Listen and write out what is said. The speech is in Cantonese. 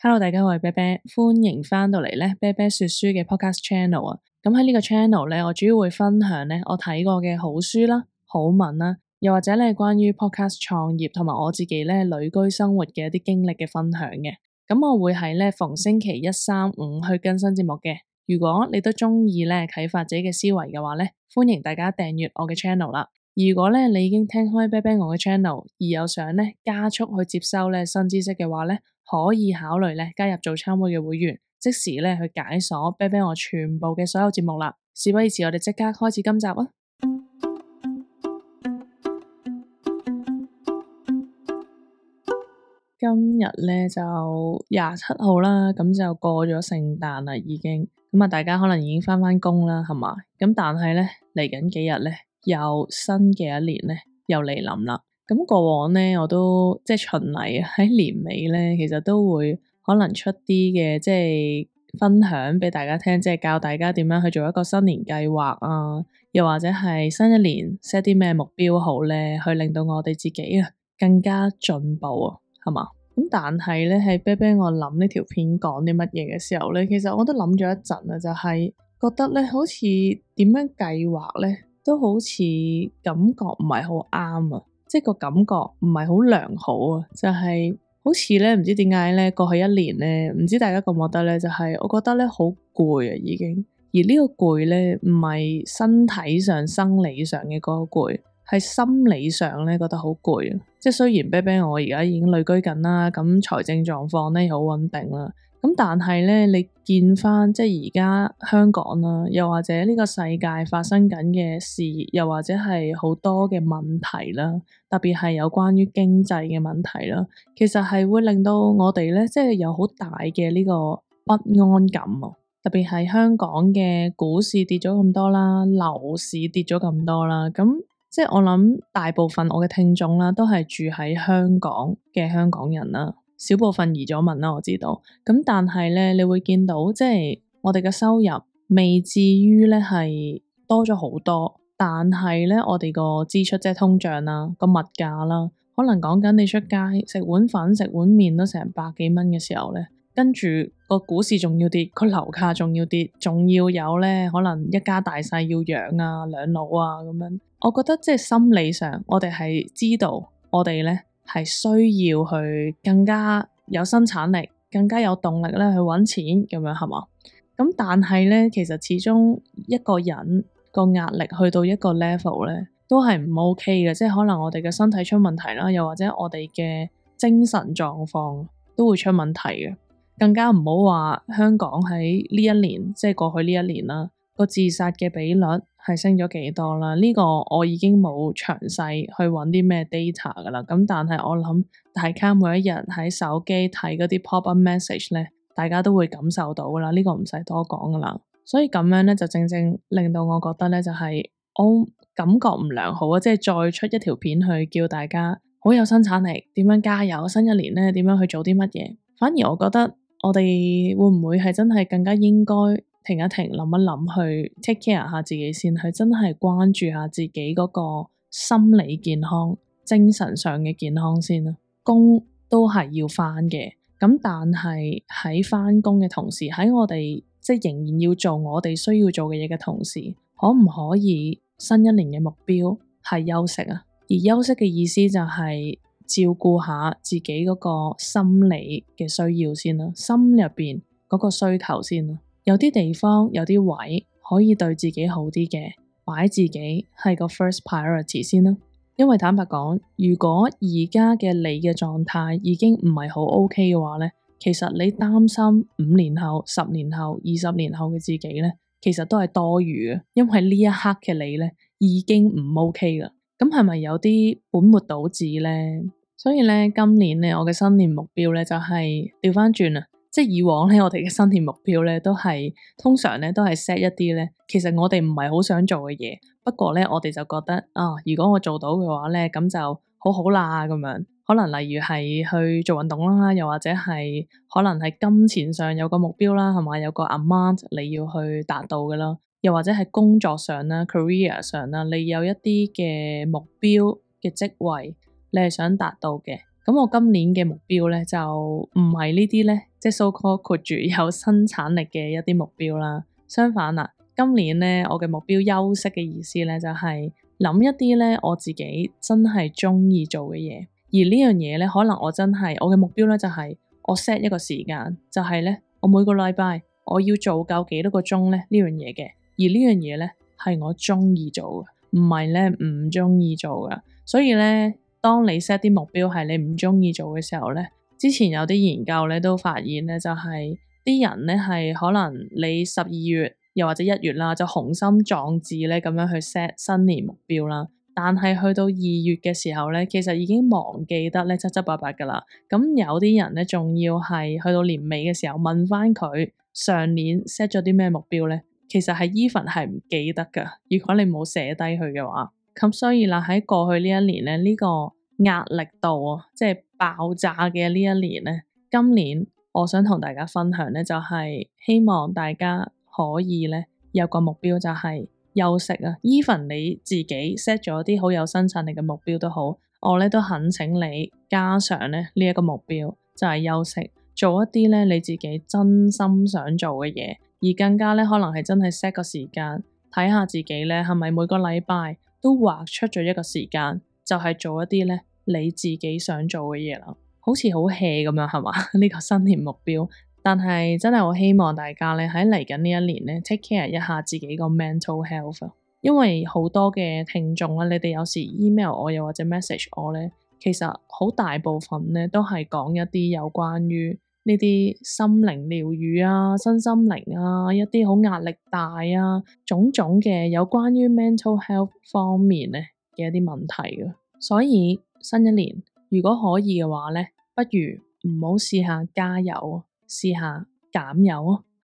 Hello，大家好，我係啤啤，歡迎翻到嚟咧啤啤說書嘅 podcast channel 啊。咁喺呢個 channel 咧，我主要會分享咧我睇過嘅好書啦、好文啦，又或者咧關於 podcast 創業同埋我自己咧旅居生活嘅一啲經歷嘅分享嘅。咁我會喺咧逢星期一、三、五去更新節目嘅。如果你都中意咧啟發自己嘅思維嘅話咧，歡迎大家訂閱我嘅 channel 啦。如果咧你已經聽開啤啤我嘅 channel，而有想咧加速去接收咧新知識嘅話咧，可以考慮咧加入早餐會嘅會員，即時咧去解鎖啤啤我全部嘅所有節目啦。事不宜遲，我哋即刻開始今集啊！今日咧就27號啦，咁就過咗聖誕啦，已經咁啊，大家可能已經返工啦，係嘛？咁但係咧嚟緊幾日咧，又新嘅一年咧又嚟臨啦。咁過往咧，我都即係循例喺年尾咧，其實都會可能出啲嘅即係分享俾大家聽，即係教大家點樣去做一個新年計劃啊，又或者係新一年 set 啲咩目標好咧，去令到我哋自己啊更加進步啊，係嘛？咁但係咧喺啤啤我諗呢條片講啲乜嘢嘅時候咧，其實我都諗咗一陣啊，就係覺得咧好似點樣計劃咧，都好似感覺唔係好啱啊。即係個感覺唔係好良好啊，就係好似咧唔知點解咧過去一年咧，唔知大家覺唔覺得咧，就係我覺得咧好攰啊已經，而呢個攰咧唔係身體上生理上嘅嗰個攰，係心理上咧覺得好攰啊。即係雖然啤啤我而家已經旅居緊啦，咁財政狀況咧又好穩定啦。咁但係咧，你見翻即係而家香港啦，又或者呢個世界發生緊嘅事，又或者係好多嘅問題啦，特別係有關於經濟嘅問題啦，其實係會令到我哋咧，即係有好大嘅呢個不安感啊！特別係香港嘅股市跌咗咁多啦，樓市跌咗咁多啦，咁即係我諗大部分我嘅聽眾啦，都係住喺香港嘅香港人啦。少部分移咗民啦，我知道。咁但係咧，你會見到即係我哋嘅收入未至於咧係多咗好多，但係咧我哋個支出即係通脹啦，個物價啦，可能講緊你出街食碗粉、食碗麵都成百幾蚊嘅時候咧，跟住個股市仲要跌，個樓價仲要跌，仲要有咧可能一家大細要養啊、兩老啊咁樣。我覺得即係心理上，我哋係知道我哋咧係需要去更加有生產力，更加有動力咧去揾錢咁樣係嘛？咁但係咧，其實始終一個人個壓力去到一個 level 咧，都係唔 OK 嘅，即係可能我哋嘅身體出問題啦，又或者我哋嘅精神狀況都會出問題嘅。更加唔好話香港喺呢一年，即係過去呢一年啦，個自殺嘅比率係升咗幾多啦？呢個我已經冇詳細去揾啲咩 data 噶啦。咁但係我諗大家每一日喺手機睇嗰啲 pop up message 咧，大家都會感受到噶啦。呢個唔使多講噶啦。所以咁樣咧就正正令到我覺得咧就係我感覺唔良好啊！即係再出一條片去叫大家好有生產力，點樣加油，新一年咧點樣去做啲乜嘢？反而我覺得我哋會唔會係真係更加應該停一停，諗一諗，去 take care 下自己先，去真係關注下自己嗰個心理健康、精神上嘅健康先啦。工都係要返嘅，咁但係喺返工嘅同時，喺我哋即係仍然要做我哋需要做嘅嘢嘅同時，可唔可以新一年嘅目標係休息啊？而休息嘅意思就係照顧下自己嗰個心理嘅需要先啦，心入邊嗰個需求先啦。有啲地方有啲位可以對自己好啲嘅，擺自己係個 first priority 先啦。因為坦白講，如果而家嘅你嘅狀態已經唔係好 OK 嘅話咧，其實你擔心5年後、10年後、20年後嘅自己咧，其實都係多餘嘅，因為呢一刻嘅你咧已經唔 OK 啦。咁係咪有啲本末倒置咧？所以咧，今年咧，我嘅新年目標咧就係調翻轉啊！即係以往咧，我哋嘅新年目標咧都係通常咧都係 set 一啲咧，其實我哋唔係好想做嘅嘢，不過咧我哋就覺得啊，如果我做到嘅話咧，咁就好好啦咁樣。可能例如係去做運動啦，又或者係可能係金錢上有個目標啦，係咪有個 amount 你要去達到嘅啦？又或者係工作上啦、career 上啦，你有一啲嘅目標嘅職位。你係想達到嘅，咁我今年嘅目標咧就唔係呢啲咧，即係 so called 括住有生產力嘅一啲目標啦。相反啦，今年咧我嘅目標休息嘅意思咧就係諗一啲咧我自己真係中意做嘅嘢，而呢樣嘢咧可能我真係我嘅目標咧就係我 set 一個時間，就係咧我每個禮拜我要做夠幾多個鐘咧呢樣嘢嘅，而呢樣嘢咧係我中意做嘅，唔係咧唔中意做嘅。所以咧，當你 set 啲目標係你唔中意做嘅時候咧，之前有啲研究咧都發現咧，就係啲人咧係可能你12月又或者1月啦，就雄心壯志咧咁樣去 set 新年目標啦。但係去到2月嘅時候咧，其實已經忘記得咧七七八八噶啦。咁有啲人咧仲要係去到年尾嘅時候問翻佢上年 set 咗啲咩目標咧，其實係 even 係唔記得噶。如果你冇寫低佢嘅話，咁所以啦喺過去呢一年咧，呢個壓力度啊，即係爆炸嘅呢一年咧，今年我想同大家分享咧，就係希望大家可以咧有個目標，就係休息啊。even 你自己 set 咗啲好有生產力嘅目標都好，我咧都懇請你加上咧呢一個目標，就係休息，做一啲咧你自己真心想做嘅嘢，而更加咧可能係真係 set 個時間，睇下自己咧係咪每個禮拜都劃出咗一個時間，就係做一啲咧你自己想做嘅嘢啦。好似好 hea 咁樣係嘛？呢個新年目標，但係真係好希望大家咧喺嚟緊呢一年咧 take care 一下自己個 mental health。因為好多嘅聽眾啦，你哋有時 email 我又或者 message 我咧，其實好大部分咧都係講一啲有關於呢啲心靈療愈啊、身心靈啊、一啲好壓力大啊、種種嘅有關於 mental health 方面咧嘅一啲問題嘅。所以新一年如果可以嘅話咧，不如唔好試下加油，試下減油啊！